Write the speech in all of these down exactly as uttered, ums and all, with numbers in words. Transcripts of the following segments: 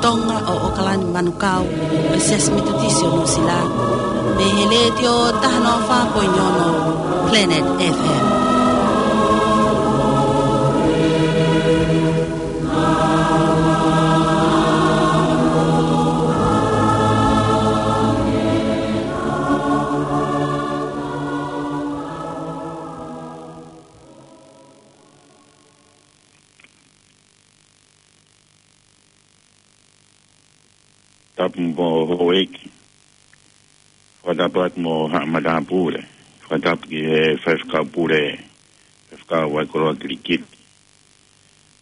Tonga ʻo ʻAokalani Manukau, ʻa e Siasi Metotisi ʻo Nuʻusila, mei he Letiō taha noa fā poini ono Planet F M. Tapu mo houʻeiki. Fakatapu atu mo haʻa matāpule. Fakatapu ki he faifekau pule, faifekau Vaikoloa Kilikiti.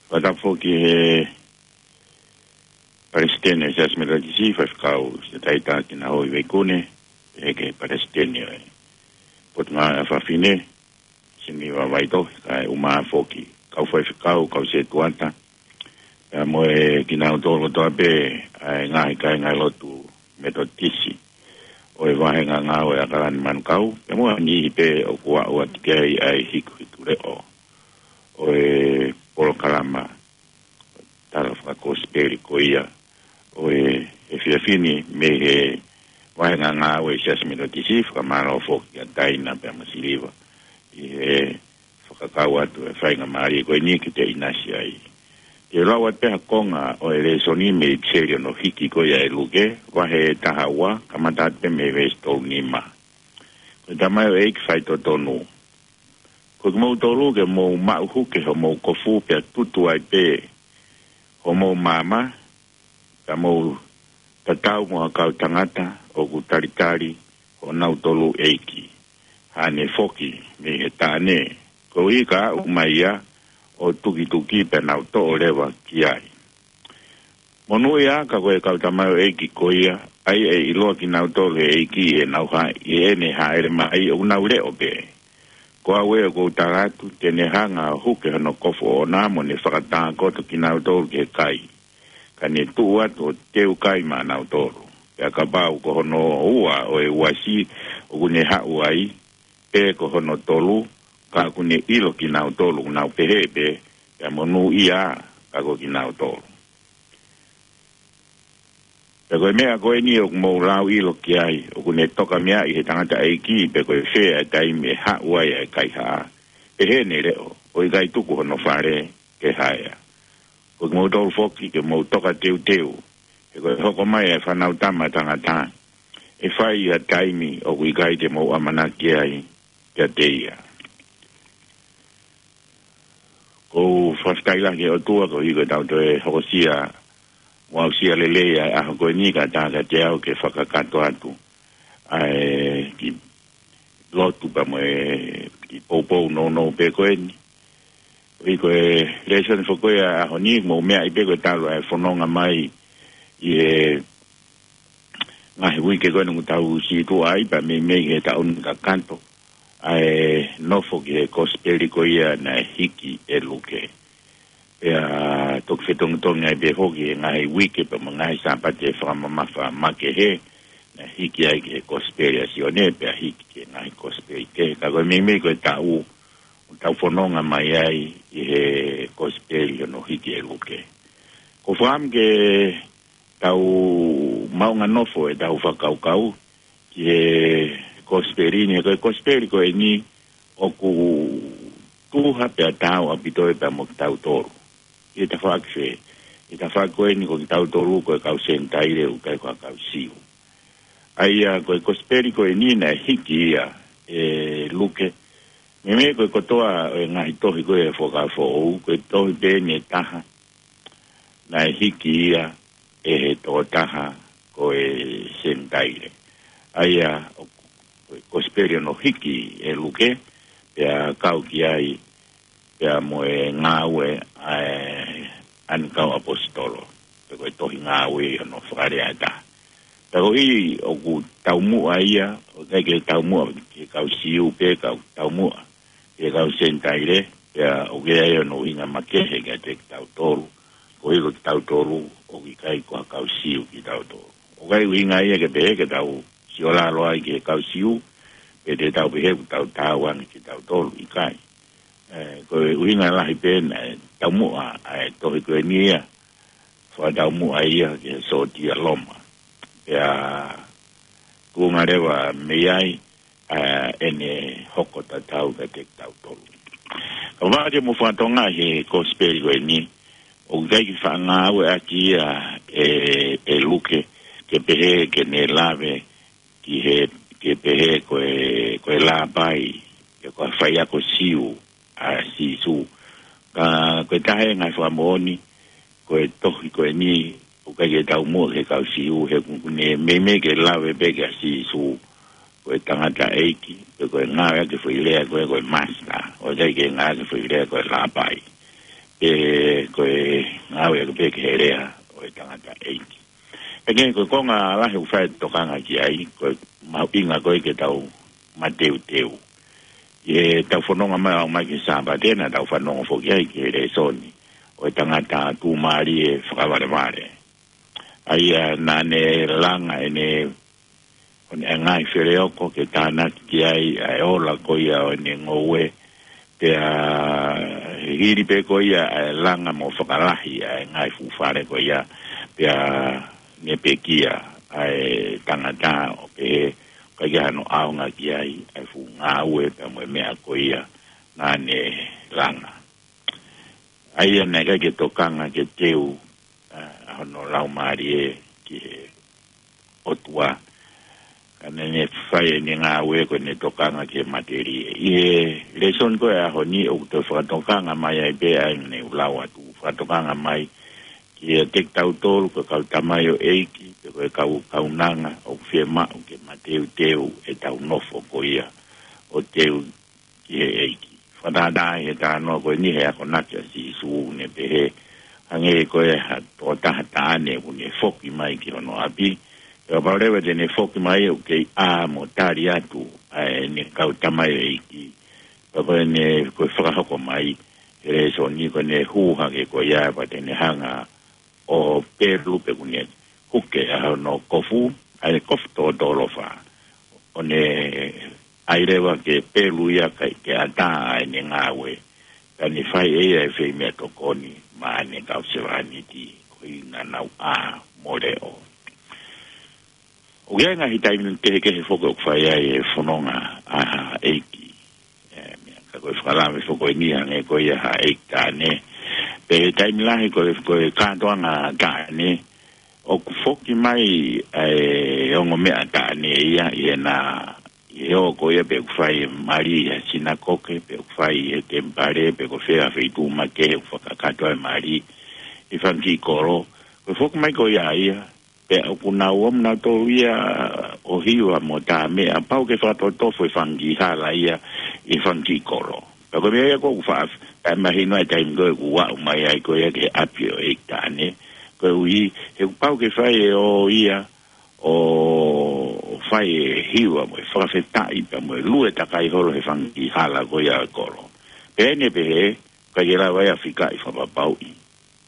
Fakatapu foki ki he palesiteni ʻo e Siasi Metotisi, faifekau Setaita Kinahoʻi Veikune, pehē ki he palesiteni ʻo e Potungāue ʻa Fafine, Siniva Vaitohi, kae ʻumaʻā foki kau faifekau, kau setuata, pea mo e kinautolu kotoa pē ʻa e ngaahi kāinga lotu Metotisi ʻo e vāhenga ngāue ʻa ʻAokalani Manukau, pea mo ha niʻihi pē ʻoku aʻu atu ki ai ʻa e hikuhikuleʻo ʻo e polokalama tala fakakosipeli ko ia ʻo e efiafi ni mei he vāhenga ngāue ʻa e Siasi Metotisi, fakamālō foki kia Taina pea mo Siliva ʻi he fakakau atu e faingamālie ko eni ke te ʻinasi ai. Te u lau atu pē ha konga ʻo e lēsoni mei he ʻipiseli hono hiki ko ia ʻe Luke, vahe taha ua, kamata atu pē mei he veesi tolu nima. Ko e tamaioʻeiki faitotonu. Ko kimoutolu ke mou maʻu huke homou kofu pea tutu ai pē homou maama, ka mou tatau mo ha kau tangata ʻoku talitali honautolu ʻeiki, haʻane foki mei he taʻane, koeʻuhi ka aʻu mai ia ʻo tukituki pea nau toʻo leva ki ai. Monūʻia ka ko e kau tamaioʻeiki ko ia, ʻa ia ʻe ʻiloa kinautolu ʻe he ʻEiki ʻi heʻenau ha-, ʻi heʻene hāʻele mai, ʻoku nau leʻo pē. Ko au ē ʻoku ou tala atu, te ne hanga ʻo huke hono kofu ʻoʻona mo ne fakatākoto kinautolu ki he kai. Ka ne tuʻu atu ʻo teu kai maʻanautolu. Pea kapau ko hono ua ʻo e uasi ʻoku ne haʻu ai, pe ko hono tolu, ka ʻoku ne ʻilo kinautolu, ʻoku nau pehē pē, pea monūʻia ka ko kinautolu. Pea ko e meʻa ko eni ʻoku mou lauʻilo ki ai, ʻoku ne toka meaʻi ʻe he tangataʻeiki pe ko e fē ʻa e taimi ʻe haʻu ai ʻa e kaihaʻa, pehē ne leʻo, ʻo ʻikai tuku hono fale ke haea. Ko kimoutolu foki ke mou toka teuteu, he ko e hoko mai ʻa e Fanautama ʻa Tangata, ʻe fai ʻi ha taimi ʻoku ʻikai te mou ʻamanaki ai kiate ia. ʻOku ou fakafetaʻi lahi ki he ʻOtua koeʻuhi ko ʻetau toe hokosia mo aʻusia lelei ʻa e ʻaho ko eni, kae ʻatā kiate au ke fakakakato atu ʻa e kiʻi lotu pea mo e kiʻi poupou nounou pē ko eni. Koeʻuhi ko e lēsoni foki ko ia ʻo e ʻaho ni, mou meaʻi pē ko e talu ʻa e fononga mai ʻi he ngaahi uike ko eni ʻoku tau situʻa ai, pea meimei he taʻu ni kakato, ʻa e nofo ki he kosipeli ko ia naʻe hiki ʻe Luke. Pea toki fetongitongi ai pē foki he ngaahi uike pea mo e ngaahi Sāpate fakamamafa makehe, naʻe hiki ai ki he kosipeli ʻa Sione, pea hiki ki he ngaahi kosipeli kehe. Ka ko e meimei ko e taʻu ʻoku tau fononga mai ai ʻi he kosipeli hono hiki ʻe Luke. Ko e fakaʻamu ke tau maʻu ha nofo ʻetau fakakaukau ki he kosipeli ni, he ko e kosipeli ko eni ʻoku tuha pea taau ʻaupito ia pea mo kitautolu. ʻI he tafaʻaki fē? ʻI he tafaʻaki ko eni ko kitautolu ko e kau Senitaile, ʻoku ʻikai ko ha kau Siu. ʻA ia ko e kosipeli ko eni naʻe hiki ia ʻe Luke. Meimei ko e kotoa ʻo e ngaahi tohi ko ē ʻo e Fuakava Foʻou, ko e tohi pē eni ʻe taha naʻe hiki ia ʻe he tokotaha ko e Senitaile. ʻA ia ʻo, ko e kosipeli hono hiki ʻe Luke, pea kau ki ai pea mo e Ngāue ʻa e ʻAni Kau ʻAposetolo, pe ko e tohi Ngāue ʻi hono fakalea ʻe taha. Pea koeʻuhi ʻoku taumuʻa ia, ʻoku ʻikai ke taumuʻa ki he kau Siu pē, ka ʻoku taumuʻa ki he kau Senitaile, pea ʻoku ʻi ai hono ʻuhinga makehe kiate kitautolu, koeʻuhi ko kitautolu ʻoku ʻikai ko ha kau Siu kitautolu. ʻOku ʻikai ʻuhinga ia ke pehē ke tau siolalo ai ki he kau Siu, pe te tau pehē ʻoku tau taau ange kitautolu, ʻikai. ʻE, ko e ʻuhinga lahi pē naʻe taumuʻa ʻa e tohi ko eni ia fakataumuʻa ia ki he sōtia Loma. Pea tuʻunga leva mei ai, ʻa ʻene hoko tatau kiate kitautolu. Ka vale mo fakatonga he kosipeli ko eni, ʻoku ʻikai ke faʻa ngāueʻaki ia ʻe, ʻe Luke, ke pehē ke ne lave ki he, ke pehē ko e, ko e lāpai, pe ko e faiako Siu ʻa Sīsū. Ka ko e taha e ngaahi fakamoʻoni, ko e tohi ko eni, ʻoku ʻikai ke taumuʻa ki he kau Siu, he ʻoku ne meimei ke lave pē kia Sīsū ko e tangataʻeiki, pe ko e ngāueʻaki e foʻi lea ko e, ko e master, ʻoku ʻikai ke ngāueʻaki e foʻi lea ko e lāpai. Pe ko e ngāueʻaki pē ki he lea ʻo e tangataʻeiki. Pea ko e konga lahi ʻoku fai e tokanga ki ai, ko e mahuʻinga ko e ke tau mateuteu. ʻI heʻetau fononga mai ʻo aʻu mai ki he Sāpate, naʻa tau fanongo foki ai ki he lēsoni ʻo e tangata tuʻumālie fakavalevale. ʻA ia naʻa ne langa ʻene, ʻo ne ngaahi feleoko ke tānaki ki ai ʻa e ola ko ia ʻo ʻene ngoue, pea hili pē ko ia ʻa e langa mo fakalahi ʻa e ngaahi fuʻu fale ko ia, pea ne pekia ʻa e tangata ʻo pehē ʻoku ʻikai ke ʻi ai hano ʻaonga ki ai ʻa e fuʻu ngāue pea mo e meʻa ko ia naʻa ne langa. ʻA ia naʻe ʻikai ke tokanga ke teu, ʻa, ʻa hono laumālie ki he ʻOtua. Ka naʻa ne fai ʻene ngāue ko ʻene tokanga ki he matelie. ʻI he lēsoni ko e ʻaho ni ʻoku toe fakatokanga mai ai pē ʻa ʻene ʻulau atu. Fakatokanga mai kiate kitautolu ko e kau tamaioʻeiki, pe ko e kau kaunanga ʻoku fiemaʻu ke mateuteu ʻetau nofo ko ia ʻo teu ki he ʻEiki. Fakatātā ʻi he talanoa ko eni he akonaki ʻa Sīsū ne pehē, hangē ko e ha tokotaha taʻane ʻoku ne foki mai ki hono ʻapi. Pea kapau leva te ne foki mai ʻoku kei ʻā mo tali atu ʻa ʻene kau tamaioʻeiki. Pea ko ʻene, ko e fakahoko mai he lēsoni ko ʻene hū hake ko ia pea te ne hanga ʻo pelu pe ʻoku ne huke ʻa hono kofu, ʻa e kofu tōtōlofa. ʻO ne ʻai leva ke pelu ia kae ke ʻatā ʻa ʻene ngāue. Ka ne fai ʻe ia e fei meʻatokoni maʻa ʻene kau sevāniti koeʻuhi naʻa nau ʻā mo leʻo. ʻOku ʻi ai e ngaahi taimi kehekehe foki ʻoku fai ai e fononga ʻa ha ʻeiki. ʻE, meʻa ka ko e fakalave foki eni hangē ko ia ha ʻeiki taʻane. Pea taimi lahi ko e, ko e kātoanga taʻane, ʻoku foki mai ʻa e ongo meʻa taʻane ia ʻi heʻena, ʻi he ʻoku ʻi ai pē ʻoku fai e mali ʻi he sinakoke, pe ʻoku fai ʻi he temipale, pe ko fē ha feituʻu makehe ʻoku fakakakato ai e mali ʻi he fanga kiʻi kolo. Ko e foki mai ko ia ia, pea ʻoku nau ō mo nautolu ia ʻo hiva mo tā meʻa, pau ke fakatotofo e fanga kiʻi hala ia ʻi he fanga kiʻi kolo. Pea ko e meʻa ia ʻoku faʻa, ʻa e mahino ʻa e taimi ko ē ʻoku aʻu mai ai ko ia ki he ʻapi ʻo e ʻeiki taʻane. Koeʻuhi, he ʻoku pau ke fai e ō ia ʻo fai e hiva mo e fakafetaʻi pea mo e lue takai holo he fanga kiʻi hala ko ia ʻo e kolo. Pea ne pehē, ʻikai ke lava ia ʻo fikaʻi fakapapauʻi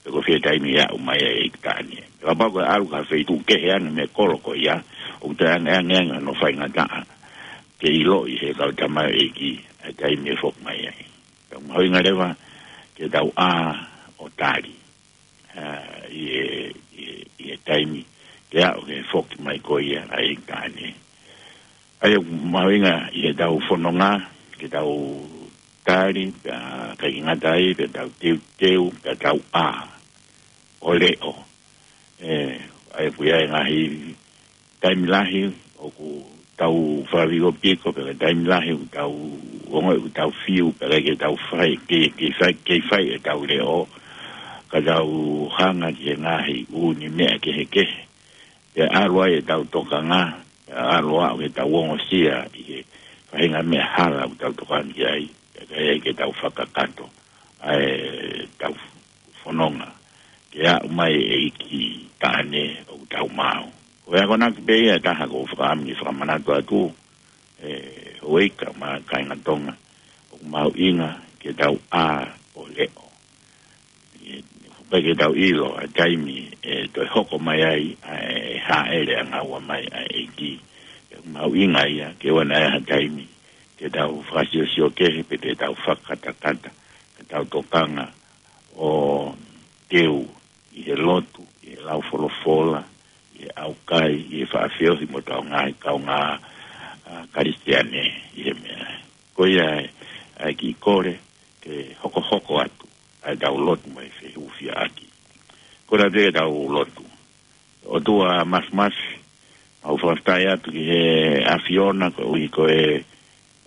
pe ko fē taimi ʻe aʻu mai ai e ʻeiki taʻane. Pea kapau ko e ʻalu ki ha feituʻu kehe ange mei he kolo ko ia, ʻoku toe angeange ange hono faingataʻa ke ʻiloʻi ʻe he kau tamaioʻeiki ʻa e taimi ʻe foki mai ai. Pea mahuʻinga leva ke tau ʻā ʻo tali, ʻa, ʻi he, ʻi he, ʻi he taimi ke aʻu ki he foki mai ko ia ʻa e ʻeiki taʻane. ʻA ia ʻoku mahuʻinga ʻi heʻetau fononga, ke tau tali, pea ʻikai ke ngata ai, pea tau teuteu, pea tau ʻā ʻo leʻo. ʻE, ʻa ia ʻoku ʻi ai e ngaahi taimi lahi ʻoku tau fakaviopiko, pea taimi lahi ʻoku tau ongoʻi ʻoku tau fiu, pea ʻikai ke tau fai, ke, ke fai, ke fai ʻetau leʻo, ka tau hanga ki he ngaahi ʻū meʻa kehekehe. Pea ʻalu ai ʻetau tokanga, pea ʻalu ʻo aʻu ke tau ongosia ʻi he faʻahinga meʻa hala ʻoku tau tokanga ki ai, pea ʻikai ai ke tau fakakakato ʻa ʻetau fononga ke aʻu mai e ʻeiki taʻane ʻoku tau maau. Ko e akonaki pē ia ʻe taha ʻoku ou fakaʻamu ke fakamanatu atu, ʻe, houʻeiki mo e kāinga Tonga, ʻoku mahuʻinga ke tau ʻā ʻo leʻo. ʻE, ʻikai ke tau ʻilo ʻa e taimi ʻe toe hoko mai ai ʻa e hāʻele ʻanga ua mai ʻa e ʻEiki. ʻOku mahuʻinga ia ke ʻoua naʻa ʻi ai ha taimi ke tau fakasiosio kehe pe te tau fakakatakata, ka tau tokanga ʻo teu ʻi he lotu, lau folofola, ʻi he ʻaukai, ʻi he faʻa feohi mo ʻetau ngaahi kaungā, ʻa, Kalisitiane, ʻi he meʻa. Ko ia ʻa e kiʻi kole ke hokohoko atu ʻa ʻetau lotu mo e fehūfiaʻaki. Ko e lave ʻetau lotu. ʻOtua Māfimafi, mau fakafetaʻi atu ki he ʻAfiona koeʻuhi ko e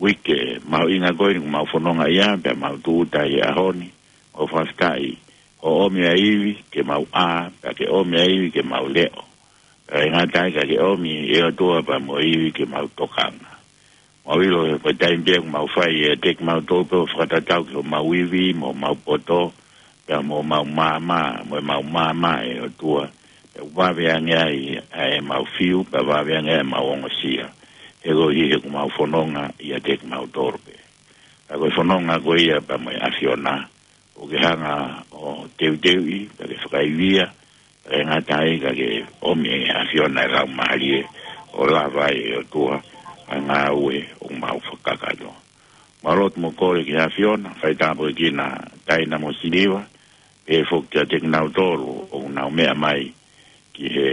uike mahuʻinga ko eni ʻoku mau fononga ai, pea mau tūʻuta ʻi he ʻaho ni. Mau fakafetaʻi hoʻo ʻomi ʻa e ivi ke mau ʻā, pea ke ʻomi ʻa e ivi ke mau leʻo. Pea ʻikai ngata ai ka ke ʻomi ʻe ʻOtua pea mo e ivi ke mau tokanga. Mau ʻilo he ko e taimi pē ʻoku mau fai ʻiate kimautolu pē ʻo fakatatau ki homau ivi, mo homau poto, pea mo homau maama, mo ʻemau maama ʻe ʻOtua. Pea ʻoku vave ange ai ʻa ʻemau fiu, pea vave ange ai ʻemau ongosia. He koeʻuhi he ʻoku mau fononga ʻiate kimautolu pē. Ka ko e fononga ko ia pea mo e ʻAfiona, ʻoku ke hanga ʻo teuteuʻi, pea ke fakaivia, pea ʻikai ngata ai ka ke ʻomi ʻe he ʻAfiona ʻa e Laumālie ʻo lava ai ʻe ʻOtua ʻa e ngāue ʻoku mau fakakakato. Mau lotu mo kole ki he ʻAfiona, fai tāpuekina Taina mo Siliva, pehē foki kiate kinautolu ʻoku nau meʻa mai ki he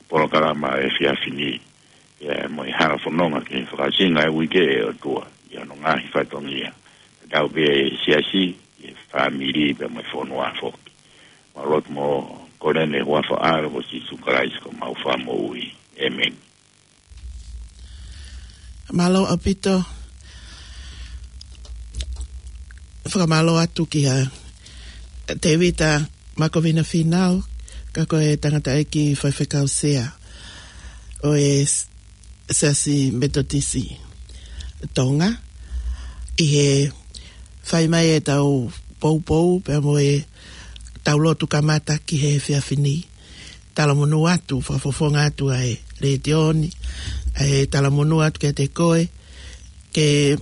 polokalama ʻo e efiafi ni, pea mo e hala fononga ke fakaʻosinga e uike ʻe ʻOtua, ʻi hono ngaahi fatongia. Tatau pē ʻi he siasi, ʻi he fāmili, pea mo e fonua foki. Mau lotu mo kole ni he huafa ʻo ho ʻAlo ko Sīsū Kalaisi ko homau Fakamoʻui. ʻĒmeni. Mālō ʻaupito. Fakamālō atu kia Tēvita Makovina Fīnau, ka ko e tangataʻeiki faifekau sea ʻo e s-, Siasi Metotisi Tonga, ʻi he fai mai ʻetau poupou, pea mo ʻetau lotu kamata ki he efiafi ni. Talamonū atu, fakafofonga atu ʻa e letiō ni, ʻa e talamonū atu kiate koe, ke,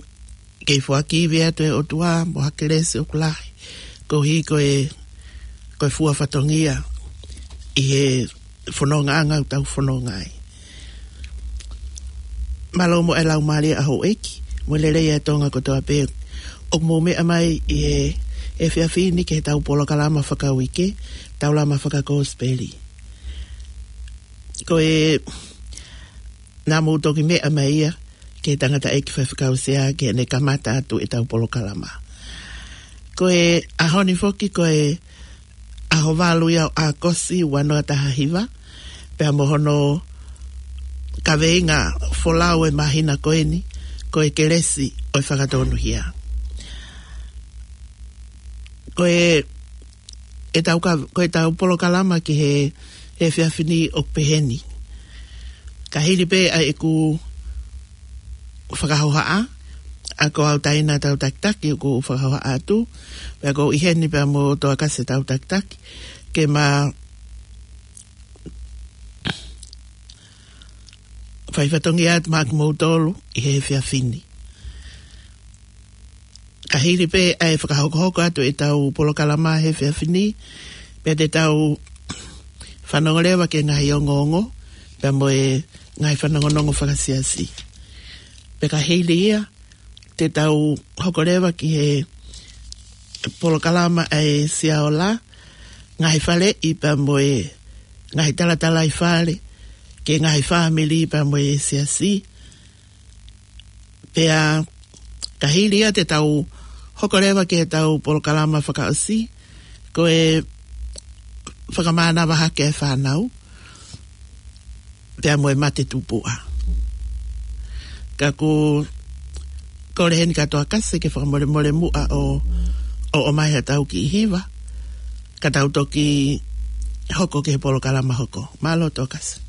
ke foaki ivi atu ʻe ʻOtua, mo ha kelesi ʻoku lahi, koeʻuhi ko e, ko e fua fatongia, ʻi he fonongaʻanga ʻoku tau fononga ai. Mālō mo e laumālie ʻa houʻeiki, mo e lelei ʻa Tonga kotoa pē. ʻOku mou meʻa mai ʻi he, he efiafi ni ki heʻetau polokalama fakauike, Taulama Fakakosipeli. Ko e, naʻa mou toki meʻa mai ia, ki he tangataʻeiki faifekau sea, ki heʻene kamata atu ʻetau polokalama. Ko e ʻaho ni foki, ko e ʻaho valu ia ʻo ʻAokosi ua noa taha hiva, pea mo hono kaveinga folau ʻo e māhina ko eni, ko e kelesi ʻo e fakatonuhia. Ko e, ʻetau ka-, ko ʻetau polokalama ki he, he efiafi ni ʻoku peheni. Ka hili pē ʻa ʻeku fakahohaʻa, ʻa ko au Taina tau takitaki ʻoku fakahohaʻa atu, pea ko ʻIheni pea mo Toakase tau takitaki, ke ma fai fatongia atu maʻa kimoutolu ʻi he efiafi ni. Ka hili pē ʻa e fakahokohoko atu ʻetau polokalama he efiafi ni, pea te tau fanongo leva ki he ngaahi ongoongo, pea mo e ngaahi fanongonongo fakasiasi. Pea ka hili ia, te tau hoko leva ki he polokalama ʻa e Siaola, ngaahi faleʻi pea mo e ngaahi talatalaifale, ki he ngaahi fāmili pea mo e siasi. Pea ka hili ia te tau hoko leva ki heʻetau polokalama fakaʻosi, ko e fakamānava hake ʻa e fānau, pea mo e mate tupuʻa. Ka ʻoku kole heni kia Toakase ke fakamolemole muʻa ʻo, ʻo ʻomai haʻatau kiʻi hiva, ka tau toki hoko ki he polokalama hoko. Mālō Toakase.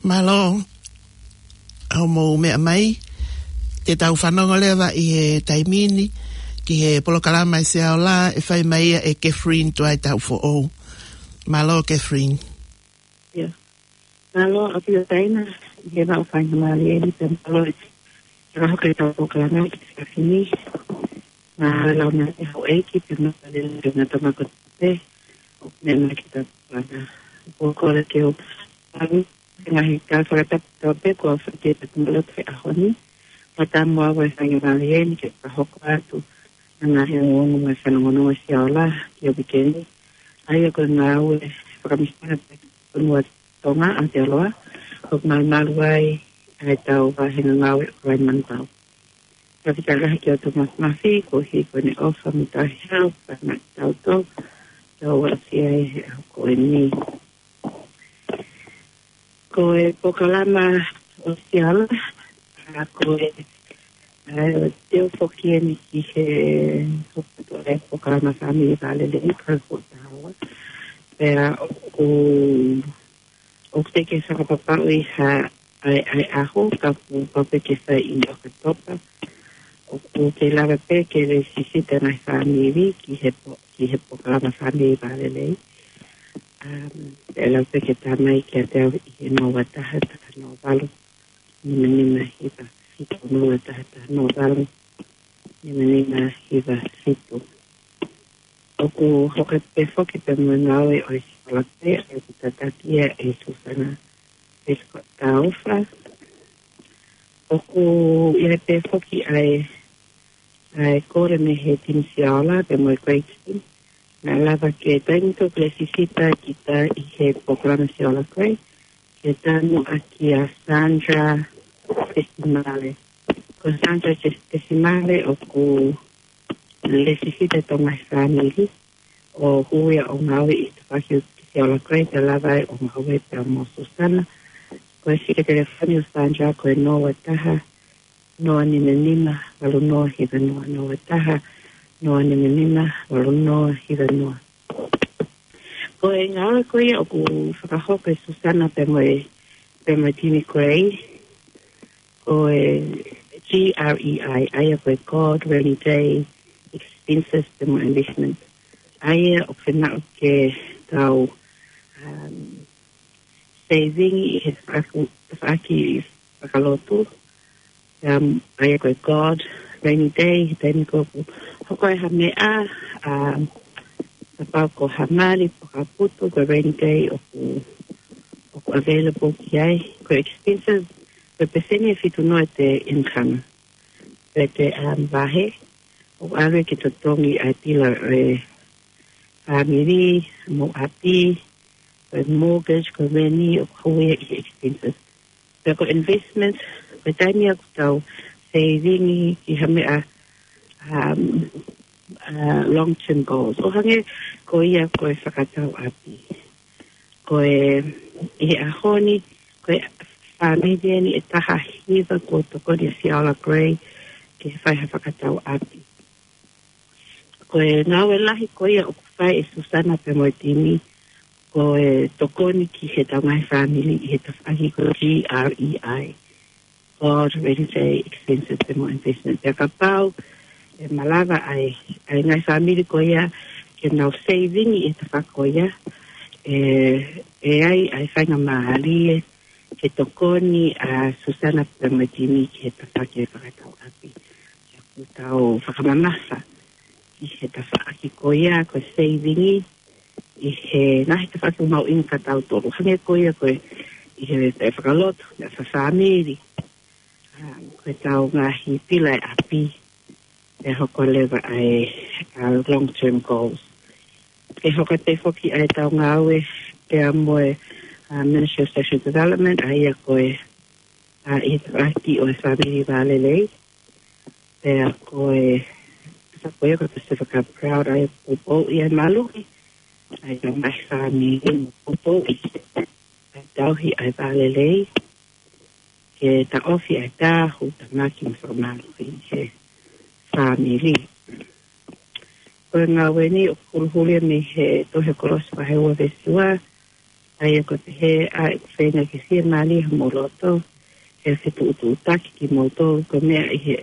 Mālō, hoʻomou meʻa mai. Te tau fanongo leva ʻi he taimi ni ki he polokalama ʻa e Sea Ola, ʻe fai mai ia ʻe Catherine Tuaitaufoʻou. Mālō, Catherine. Ia. Mālō, ʻApio Taina, ʻi he maʻu faingamālie ni pea mālō e fakahoko ʻetau polokalama ki he efiafi ni. Mālō e lau mai ʻa e houʻeiki pea mālō e lau mai ʻa e tama kotoa pē ʻoku meʻa mai ki heʻetau polokalama. ʻOku ou kole ke u ʻalu he ngaahi kau fakatapu kotoa pē kuo fai ki he tau kumaloto he ʻaho ni. Pea ʻoku ou tui ʻe fai ngāue ʻeni ke fakahoko atu ʻa e ngaahi ongoongo mo e fanongonongo ʻa e Sea Ola ki he uike ni. ʻA ia ko e ngāue fakamisinale pē ki he fonua Tonga ʻa Aotearoa, ʻoku malumalu ai ʻa ʻetau vāhenga ngāue ʻo e manukau. Ka fika lahi ki he ʻOtua Māfimafi, koeʻuhi ko ʻene ʻofa mo e tauhi ʻo e kau tangata ʻoku tau ʻasi ai he ʻaho ko eni. Ko e polokalama ʻo e Sea Ola, ʻa ko e, ʻa e teu foki eni ki he hoko atu ʻa e polokalama fāmili vālelei ka ko taua. Pea ʻoku, ʻoku teʻeki fakapapauʻi ha ʻa e, ʻa e ʻaho, ka ʻoku pau pē ke fai ʻi ʻOkatopa. ʻOku kei lava pē ke lēsisita e ngaahi fāmili ki he po-, ki he polokalama fāmili vālelei. Um, ʻe lava pē ke tā mai kiate au ʻi he noa taha taha noa valu, nima nima hiva fitu, noa taha taha noa valu, nima nima hiva fitu. ʻOku hoko atu pē foki pea mo e ngāue ʻo e Sea Ola Grey, ʻa ia ʻoku tataki ia ʻe Susana Prescott Taufa. ʻOku ʻi ai pē foki ʻa e, ʻa e kole mei he timi Sea Ola pea mo e Grey Team. Naʻe lava ke taimi ʻoku lēsisita kita ʻi he polokalama Sea Ola Grey, ke tanu ʻaki ʻa Sandra Tesimale. Ko Sandra Tes-, Tesimale ʻoku lēsisita ʻi he ngaahi fāmili ʻo hū ia ʻo ngāue ʻi he tafaʻaki ʻo e Sea Ola Grey, pea lava ai ʻo ngāue pea mo Susana. Ko e fika telefoni ʻo Sandra ko e noa taha, noa nima nima, valu noa hiva noa, noa taha, noa nima nima, valu noa hiva noa. Ko e ngāue ko ia ʻoku fakahoko ʻe Susana pea mo e, pea mo e timi Grey, ko e G R E I, ʻa ia ko e Grey Rainy Day Expenses pea mo e Investment. ʻA ia ʻoku fie maʻu ke tau, um, saving ʻi he tafaʻaki, tafaʻaki fakalotu. Um, ʻa ia ko e Grey Rainy Day, he taimi ko ē ʻoku hoko ai ha meʻa, um, kapau ko ha mali pe ko ha putu, ko e rainy day ʻoku, ʻoku available ki ai. Ko e expenses, ko e pēseni ʻe fitu noa ʻete income. Pea te, um, vahe, ʻo ʻalu ke totongi ʻa e pila ʻo e fāmili, mo e ʻapi, ko e mortgage, ko e rent, ʻoku hū ia ʻi he expenses. Pea ko e investment, ko e taimi ʻoku tau saving ki ha meʻa, um, uh, long-term goals. ʻO hangē ko ia ko e fakatau ʻapi. Ko e, ʻi he ʻaho ni, ko e fāmili ʻeni ʻe taha hiva kuo tokoni ʻe Sea Ola Grey ke fai ha fakatau ʻapi. Ko e ngāue lahi ko ia ʻoku fai ʻe Susana pea mo e timi, ko e tokoni ki heʻetau ngaahi fāmili ʻi he tafaʻaki ko e G R E I, Grey Rainy Day Expenses pea mo e Investment. Pea kapau ʻe malava ai ʻa e ngaahi fāmili ko ia ke nau saving ʻi he tafaʻaki ko ia, ʻe, ʻe ʻi ai ʻa e faingamālie ke tokoni ʻa Susana pea mo e timi ki he tafaʻaki ʻo e fakatau ʻapi. ʻOku tau fakamamafa ki he tafaʻaki ko ia ko e saving ʻi he ngaahi tafaʻaki mahuʻinga kia tautolu. Hangē ko ia ko e ʻi he, he fakalotu, he fakafāmili. Um, ko ʻetau ngaahi pila ʻo e ʻapi, ʻe hoko leva ʻa e, uh, long-term goals. ʻE hoko atu foki ʻa ʻetau ngāue pea mo e, uh, Ministry of Social Development, ʻa ia ko e, uh, ʻi he tafaʻaki ʻo e fāmili vālelei. Pea ko e, sa ko ia ko e Pacific Cup Crowd, ʻa ia ʻoku poupouʻi ʻa e maluʻi ʻa e ngaahi fāmili, mo poupouʻi ʻa e tauhi ʻa e vālelei, ke taʻofi ʻa e tāhu, tāmaki mo fakamālohi ʻi he fāmili. Ko e ngāue ni ʻoku huluhulu ia mei he tohi ʻa Kolose vahe ua veesi ua, ʻA ia ko e pehē ʻa e feinga ke fiemālie homou loto, he fetuʻutuʻutaki kimoutolu ko e meʻa ʻi he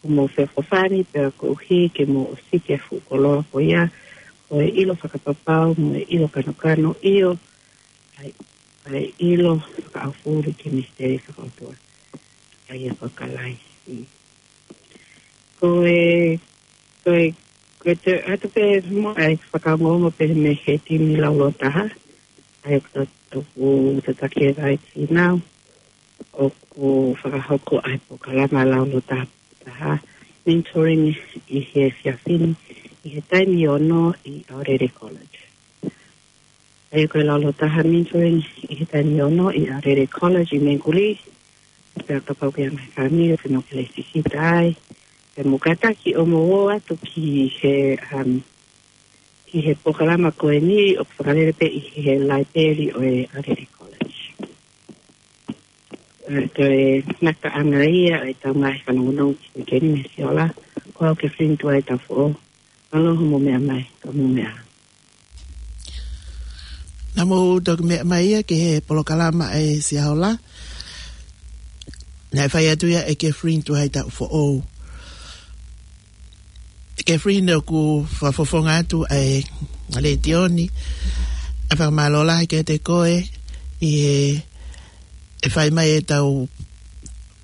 hoʻomou feʻofoʻofani, pea koeʻuhi ke mou ʻosiki e fuʻu koloa ko ia, ko e ʻilo fakapapau mo e ʻilo kanokano, ʻio, ʻa e, ʻa e ʻilo fakaʻaufuli ki he misiteli fakaʻotua. ʻA ia ko Kalaisi. Ko e, ko e, ko e te, atu pē mo e fakaongoongo pē mei he timi laulototaha. ʻA ia ko ʻeku tataki e vai tinau ʻoku fakahoko ʻa e polokalama laulototaha, mentoring ʻi he efiafi ni, ʻi he taimi ono ʻi Aorere College. ʻA ia ko e laulototaha mentoring ʻi he taimi ono ʻi Aorere College ʻi Menguli, pea kapau ko e ngaahi fāmili ʻoku nau kei lēsisita ai, pea mou kātaki ʻo mou ō atu ki he, um, ki he polokalama ko eni ʻoku fakalele pē ʻi he laipeli ʻo e Aorere College. ʻA ia ko e ngataʻanga ia ʻo ʻetau ngaahi fanongonongo ki he uike ni mei he Siaola, ko au Catherine Tuaitaufoʻou. Mālō hoʻomou meʻa mai, ka mou meʻa. Naʻa mou toki meʻa mai ia ki he polokalama ʻa e Siaola. Naʻe fai atu ia ʻe Catherine Tuaitaufoʻou. Catherine, ʻoku fakafofonga atu ʻa e letiō ni, ʻa e fakamālō lahi kiate koe ʻi he ʻe fai mai ʻetau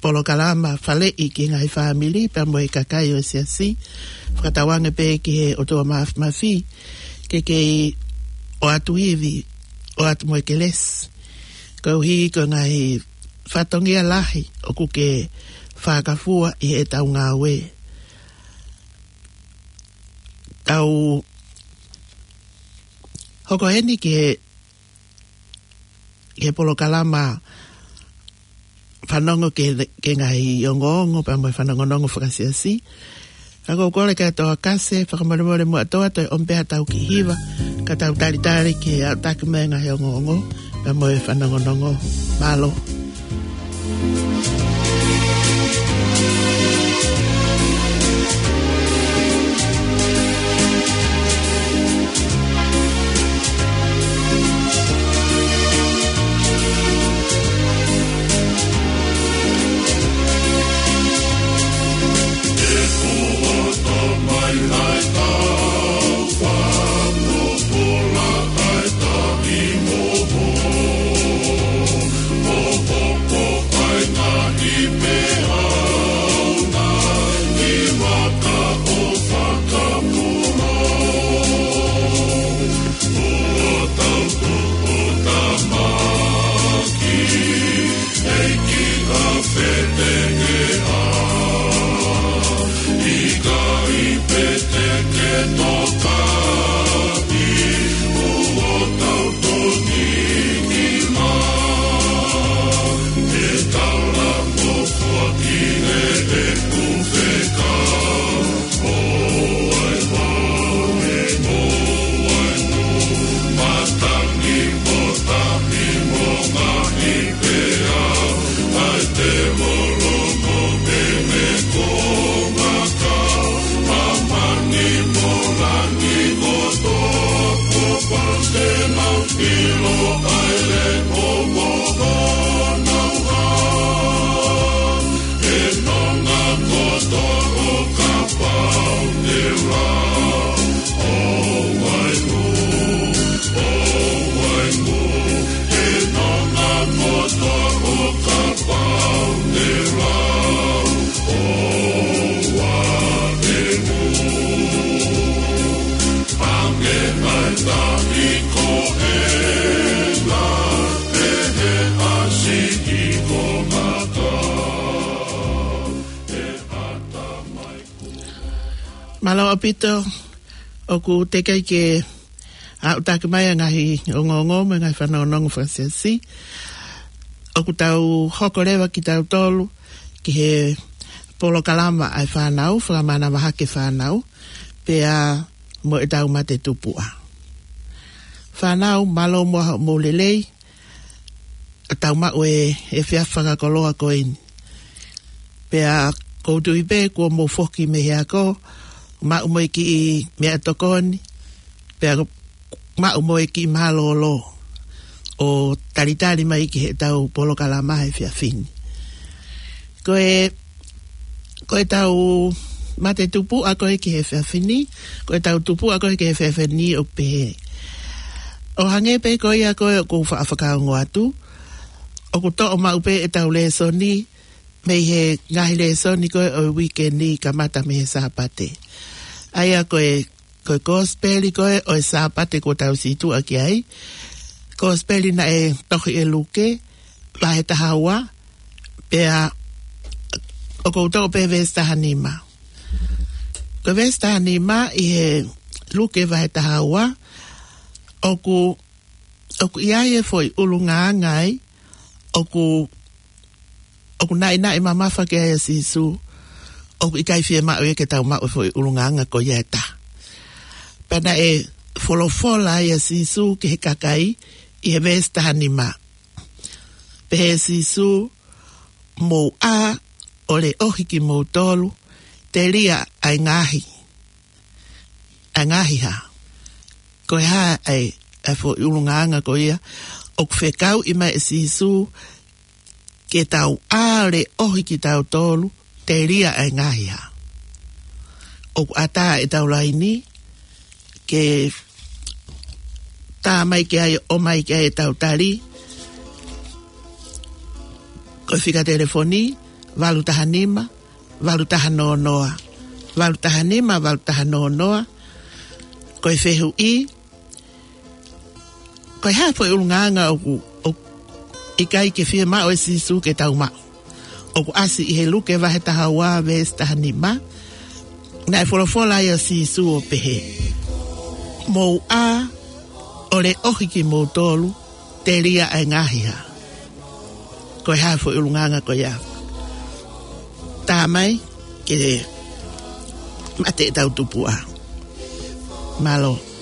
polokalama faleʻi ki he ngaahi fāmili pea mo e kakai ʻo e siasi. Fakatauange pē ki he ʻOtua Māfimafi ke kei ʻoatu ivi, ʻoatu mo e kelesi, koeʻuhi ko e ngaahi fatongia lahi ʻoku ke fakafua ʻi heʻetau ngāue. Tau hoko heni ki he ki he polokalama fanongo ki he, ki he ngaahi ongoongo pea mo e fanongonongo fakasiasi. Ka ʻoku ou kole kia Toa Kase, fakamolemole muʻa Toa, toe ʻomi pē haʻatau kiʻi hiva, ka tau talitali ki he aʻutaki mai e ngaahi ongoongo pea mo e fanongonongo. Mālō. Mālō ʻaupito, ʻoku teʻeki ke aʻutaki mai ʻa e ngaahi ongoongo mo e ngaahi fanongonongo fakasiasi. ʻOku tau hoko leva kitautolu ki he polokalama ʻa e fānau, fakamanavahake fānau, pea mo ʻetau mate tupuʻa. Fānau, mālō muʻa hoʻomou lelei, ʻa tau maʻu e, e efiafi fakakoloa ko eni. Pea ʻoku ou tui pē kuo mou foki mei he ako, maʻu mo e kiʻi meʻatokoni, pea maʻu mo e kiʻi mālōlō. ʻo talitali mai ki heʻetau polokalama he efiafi ni. Ko e, ko ʻetau mate tupuʻa ko ē ki he efiafi ni, ko ʻetau tupuʻa ko ē ki he efiafi ni ʻoku pehē. ʻO hangē pē ko ia ko ē ʻoku ou faʻa fakaongo atu, ʻoku toʻo maʻu pē ʻetau lēsoni mei he ngaahi lēsoni ko ē ʻo e uike ni kamata mei he Sāpate. ʻA ia ko e, ko e kosipeli ko ē ʻo e Sāpate kuo tau situʻa ki ai. Kosipeli naʻe tohi ʻe Luke, vahe taha ua, pea ʻoku ou toʻo pē veesi taha nima. Ko e veesi taha nima ʻi he Luke vahe taha ua, ʻoku, ʻoku ʻi ai e foʻi ʻulungaanga ai, ʻoku, ʻoku naʻinaʻi mamafa ki ai ʻa Sīsū, ʻoku ʻikai fiemaʻu ia ke tau maʻu e foʻi ʻulungaanga ko ia ʻe taha. Pea naʻe folofola ai ʻa Sīsū ki he kakai ʻi he veesi taha nima. Pehē ʻe Sīsū, mou ʻā ʻo leʻohi kimoutolu, telia ʻa e ngaahi, ʻa e ngaahi hā. Ko e hā ʻa e, ʻa e foʻi ʻulungaanga ko ia, ʻoku fekauʻi mai ʻe Sīsū, ke tau ʻā ʻo leʻohi kitautolu, telia ʻa e ngaahi hā. ʻOku ʻatā ʻetau laini, ke tā mai ki ai, ʻomai ki ai ʻetau tali. Ko e fika telefoni, valu taha nima, valu taha noa noa. Valu taha nima, valu taha noa noa. Ko e fehuʻi, ko e hā e foʻi ʻulungaanga ʻoku, ʻoku ʻikai ke fiemaʻu ʻe Sīsū ke tau maʻu. ʻOku ʻasi ʻi he Luke vahe taha ua veesi taha nima. Naʻe folofola ai ʻa Sīsū ʻo pehē, mou ʻā ʻo leʻohi kimoutolu, telia ʻa e ngaahi hā. Ko e hā e foʻi ʻulungaanga ko ia. Tā mai, ke mate ʻetau tupuʻa. Mālō.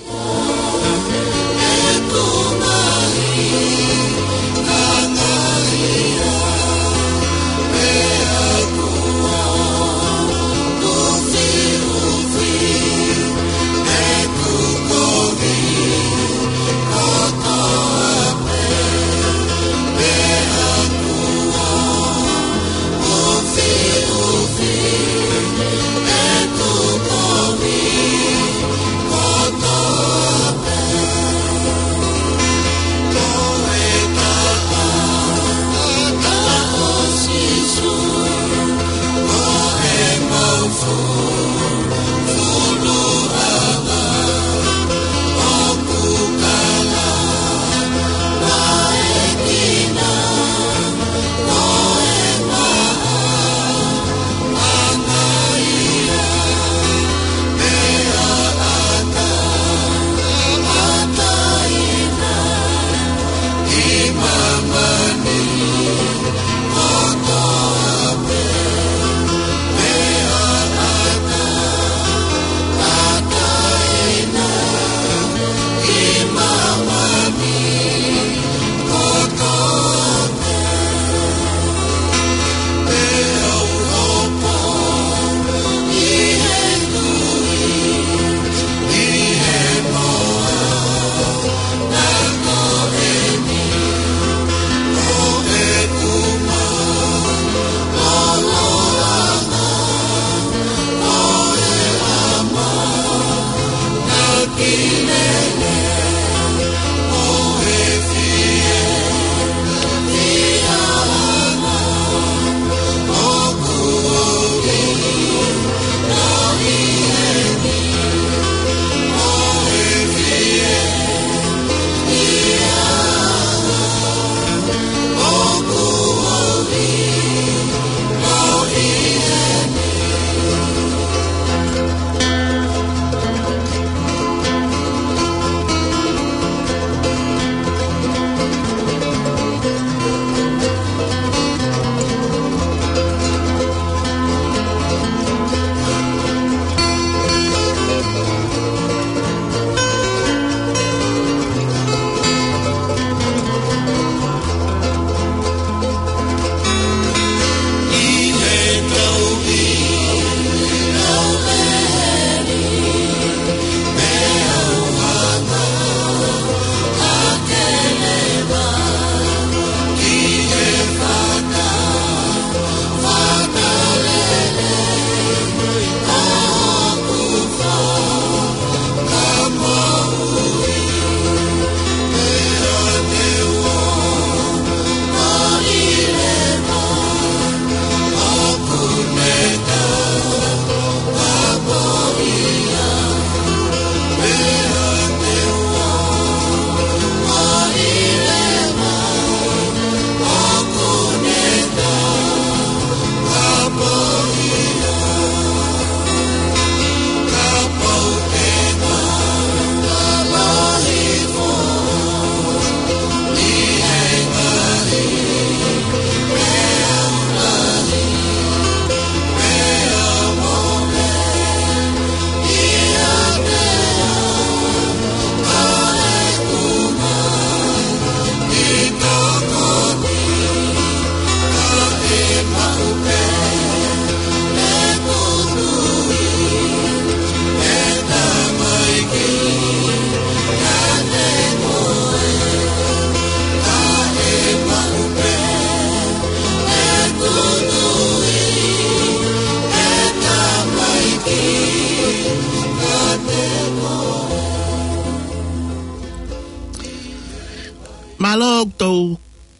Mālō ʻoku tau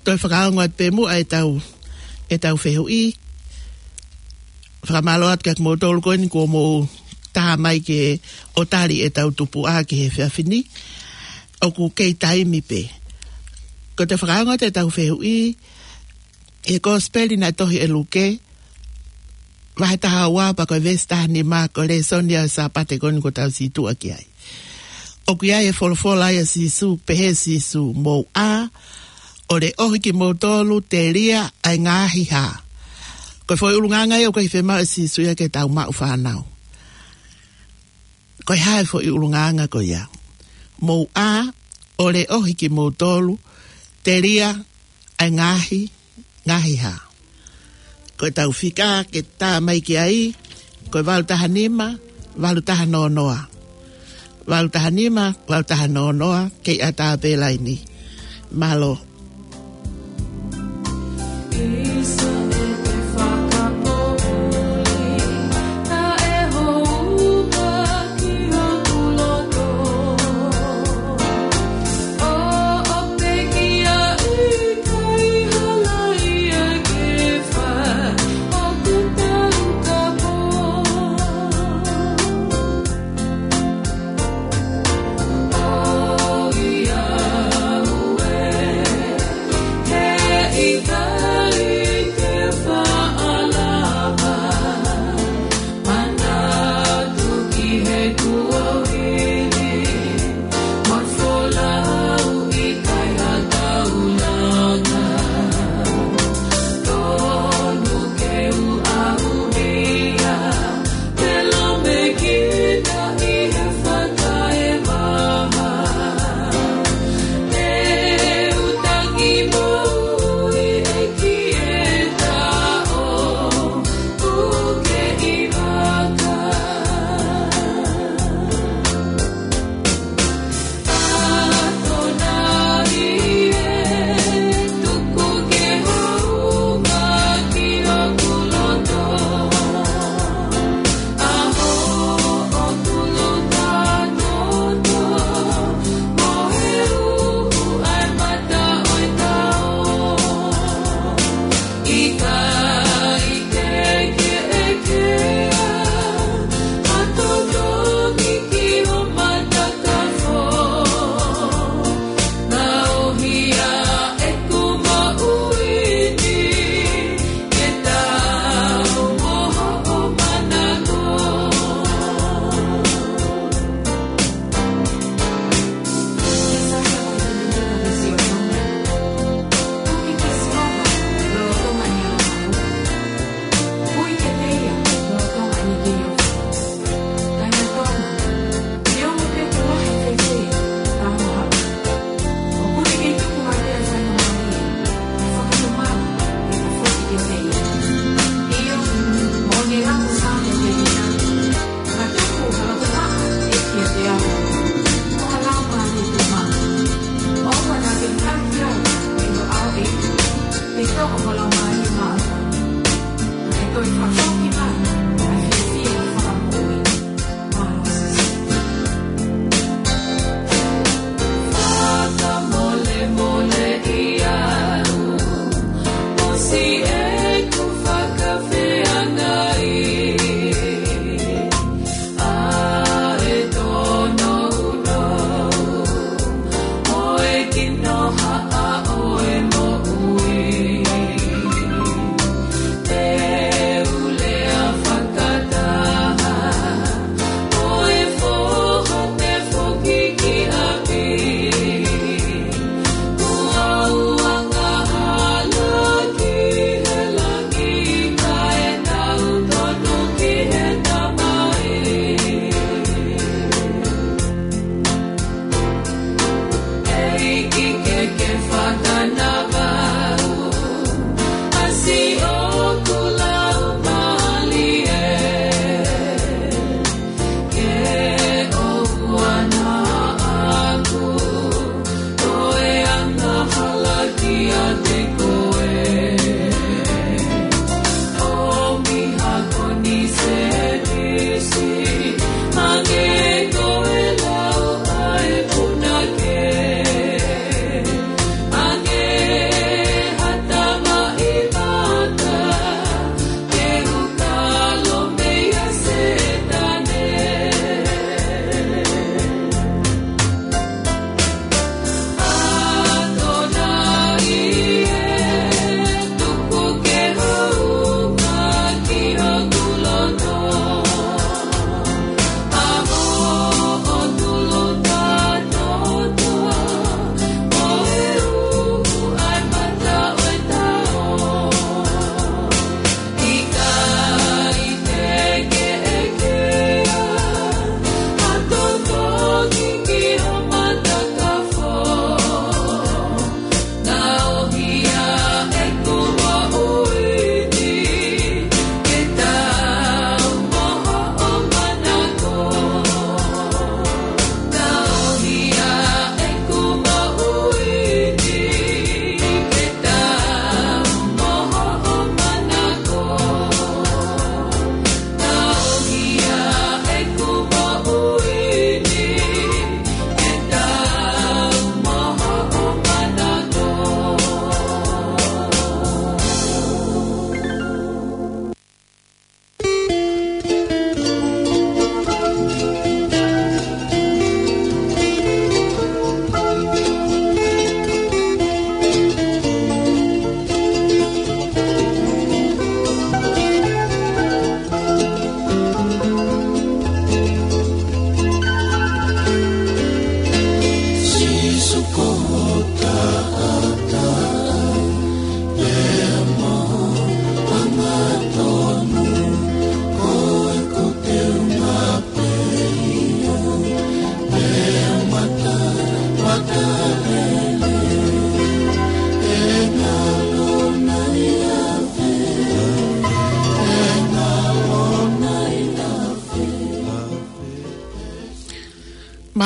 toe fakaongo atu pē muʻa ʻetau, ʻetau fehuʻi. Fakamālō atu kia kimoutolu ko eni kuo mou tā mai ke ʻo tali ʻetau tupuʻa ki he efiafi ni. ʻOku kei taimi pē. Ko ʻetau fakaongo atu ʻetau fehuʻi, ʻi he Kosipeli naʻe tohi ʻe Luke, vahe taha ua pea ko e veesi taha nima, ko e lēsoni ʻo e Sāpate ko eni kuo tau situʻa ki ai. ʻOku ʻi ai e folofola ʻa Sīsū, pehē ʻe Sīsū, mou ʻā ʻo leʻohi kimoutolu telia ʻa e ngaahi hā. Ko e foʻi ʻulungaanga ia ʻoku ʻikai fiemaʻu ʻe Sīsū ia ke tau maʻu fānau. Ko e hā e foʻi ʻulungaanga ko ia? Mou ʻā ʻo leʻohi kimoutolu telia ʻa e ngaahi, ngaahi hā. Ko ʻetau fika ke tā mai ki ai, ko e valu taha nima, valu taha noa noa. Valu taha nima, valu taha noa noa, kei ʻatā pē laini. Mālō.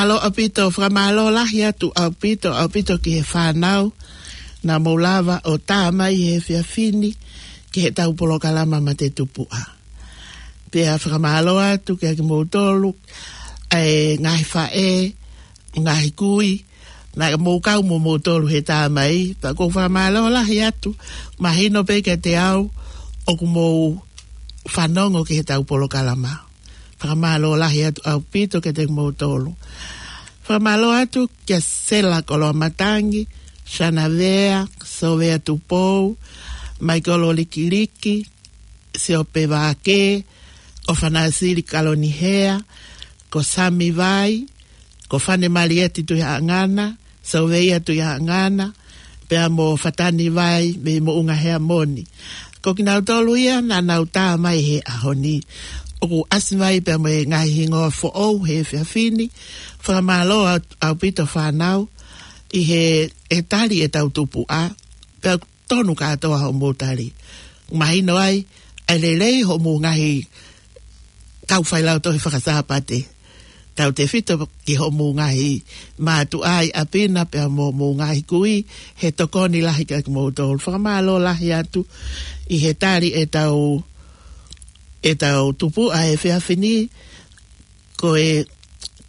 Mālō ʻaupito, fakamālō lahi atu ʻaupito, ʻaupito ki he fānau naʻa mou lava ʻo tā mai he efiafi ni ki heʻetau polokalama Mate Tupuʻa. Pea fakamālō atu kiate kimoutolu, ʻa e ngaahi faʻē, ngaahi kui, naʻa mou kau mo moutolu he tā mai, pea ʻoku ou fakamālō lahi atu, mahino pē kiate au, ʻoku mou fanongo ki heʻetau polokalama. Fakamālō lahi atu ʻaupito kiate kimoutolu. Fakamālō atu kia Sela Koloamatangi, Sanavea, Sovea Tupou, Maikolo Likiliki, Siope Vake, ʻOfanasili Kalonihea, ko Sami Vai, ko Fane Malieti Tuihaʻangana, Soveia Tuihaʻangana, pea mo Fatani Vai mei Moʻunga Heamoni. Ko kinautolu ia naʻa nau tā mai he ʻaho ni. ʻOku ʻasi mai pea mo e ngaahi hingoa foʻou he efiafi ni. Fakamālō ʻaupito fānau ʻi he, he tali ʻetau tupuʻa. Pea tonu kātoa hoʻomou tali. Mahino ai, ʻa e lelei hoʻomou ngaahi kau failautohi fakasāpate. Tautefito ki hoʻomou ngaahi mātuʻa ʻi ʻapi na pea mo hoʻomou ngaahi kui, he tokoni lahi kiate kimoutolu. Fakamālō lahi atu ʻi he tali ʻetau, ʻetau tupuʻa he efiafi ni, ko e,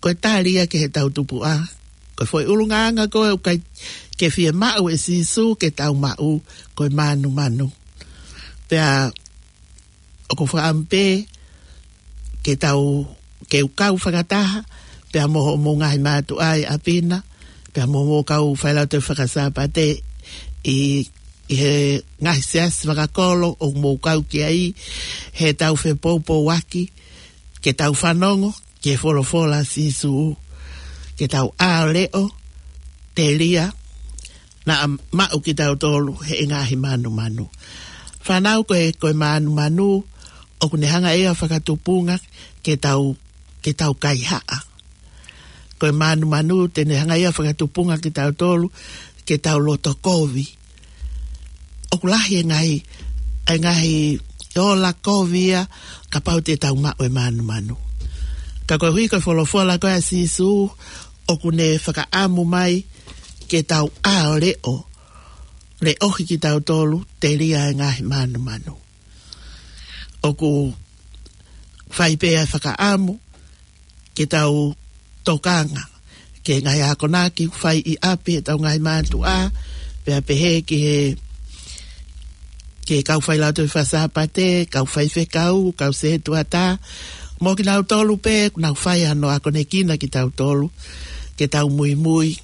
ko e tali ia ki heʻetau tupuʻa. Ko e foʻi ʻulungaanga ko ē ʻoku ʻikai ke fiemaʻu ʻe Sīsū ke tau maʻu, ko e mānumanu. Pea ʻoku ou fakaʻamu pē ke tau, ke u kau fakataha, pea mo hoʻomou ngaahi mātuʻa ʻi ʻapi na, pea mo hoʻomou kau failautohi fakasāpate ʻi, ʻi he ngaahi siasi fakakolo ʻoku mou kau ki ai, heʻetau fepoupouaki, ke tau fanongo ki he folofola ʻa Sīsū, ke tau ʻā ʻo leʻo, telia, naʻa maʻu kitautolu he ngaahi mānumanu. Fānau, ko e, ko e mānumanu, ʻoku ne hanga ia ʻo fakatupunga ke tau, ke tau kaihaʻa. Ko e mānumanu te ne hanga ia ʻo fakatupunga kitautolu ke tau loto kovi. ʻOku lahi e ngaahi, e ngaahi ola kovi ia kapau te tau maʻu e mānumanu. Ka koeʻuhi ko e folofola ko ē ʻa Sīsū, ʻoku ne fakaʻamu mai ke tau ʻā ʻo leʻo, leʻohi kitautolu telia e ngaahi mānumanu. ʻOku fai pē ʻa e fakaʻamu ke tau tokanga ki he ngaahi akonaki ʻoku fai ʻi ʻapi ʻetau ngaahi mātuʻa, pea pehē ki he, ki he kau failautohi fakasāpate, kau faifekau, kau sētuata, mo kinautolu pē ʻoku nau fai hano akonekina kitautolu, ke tau muimui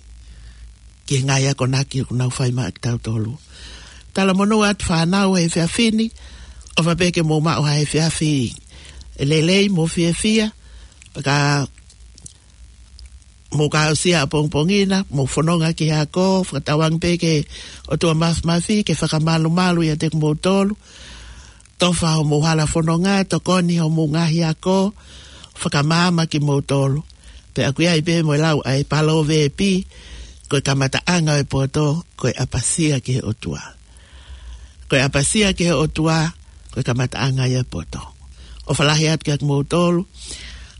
ki he ngaahi akonaki ʻoku nau fai maʻa kitautolu. Talamonū atu fānau he efiafi ni, ʻofa pē ke mou maʻu ha efiafi lelei mo fiefia, pea ka mou ka aʻusia ʻapongipongi na, mou fononga ki he ako, fakatauange pē ki he ʻOtua Māfimafi ke fakamalumalu ʻiate kimoutolu, tofa hoʻomou hala fononga, tokoni hoʻomou ngaahi ako, fakamaama kimoutolu. Pea ʻoku ʻi ai pē mo e lau ʻa e Palōveepi, ko e kamataʻanga ʻo e poto, ko e ʻapasia ki he ʻOtua. Ko e ʻapasia ki he ʻOtua, ko e kamataʻanga ia ʻo e poto. ʻOfa lahi atu kiate kimoutolu.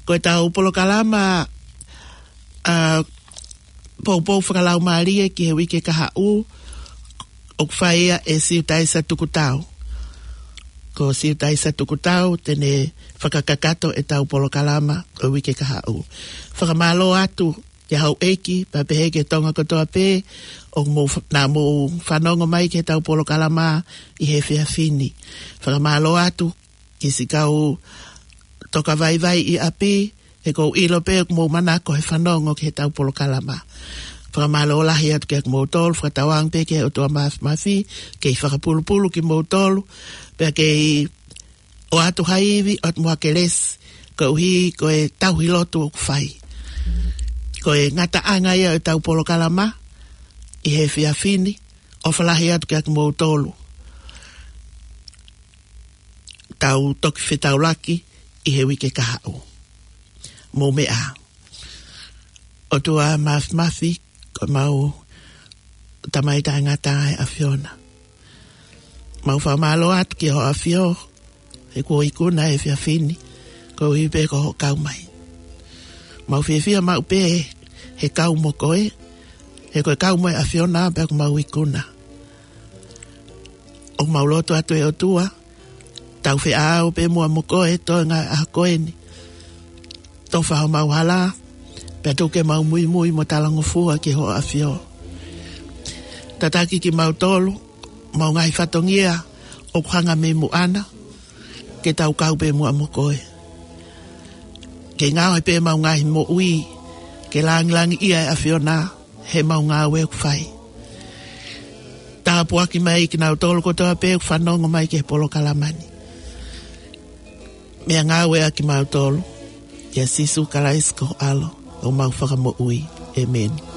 Ko ʻetau polokalama, ʻa, poupou fakalaumālie ki he uike kahaʻu, ʻoku fai ia ʻe Siutaisa Tukutau. Ko Siutaisa Tukutau te ne fakakakato ʻetau polokalama ʻo e uike kahaʻu. Fakamālō atu ki he houʻeiki, pea pehē ki he Tonga kotoa pē, ʻoku mou fa-, naʻa mou fanongo mai ki heʻetau polokalama ʻi he efiafi ni. Fakamālō atu ki siʻi kau toka vaivai ʻi ʻapi, he ʻoku ou ʻilo pē ʻoku mou manako he fanongo ki heʻetau polokalama. Fakamālō lahi atu kiate kimoutolu, fakatauange pē ki he ʻOtua Māfimafi, kei fakapulupulu kimoutolu, pea kei ʻoatu ha ivi, ʻoatu mo ha kelesi, koeʻuhi ko e tauhi lotu ʻoku fai. Ko e ngataʻanga ia ʻo ʻetau polokalama ʻi he efiafi ni, ʻofa lahi atu kiate kimoutolu. Tau toki fetaulaki ʻi he uike kahaʻu. Mou meʻa. ʻOtua Māfimafi, ko homau Tamai taʻengata ʻa e ʻAfiona. Mau fakamālō atu ki hoʻo ʻAfio, he kuo ikuna e efiafi ni, koeʻuhi pē ko hoʻo kau mai. Mau fiefia maʻu pē ʻe kau mo koe, he ko e kau mo e ʻAfiona pea ʻoku mau ikuna. ʻOku mau lotu atu ʻe ʻOtua, tau feʻao pē muʻa mo koe, toenga ʻa ko eni. Tofa homau hala, pea tuku ke mau muimui mo talangofua ki hoʻo ʻAfio. Tataki kimautolu, mau ngaahi fatongia, ʻoku hanga mei muʻa na, ke tau kau pē muʻa mo koe. Ke ngaohi pē mau ngaahi moʻui, ke langilangiʻia e ʻAfiona, he mau ngāue ʻoku fai. Tāpuaki mai kinautolu kotoa pē ʻoku fanongo mai ki he polokalama ni. Meʻangāueʻaki kimautolu, ʻia Sīsū Kalaisi ko ho ʻAlo, ʻoku mau fakamoʻui. ʻĒmeni.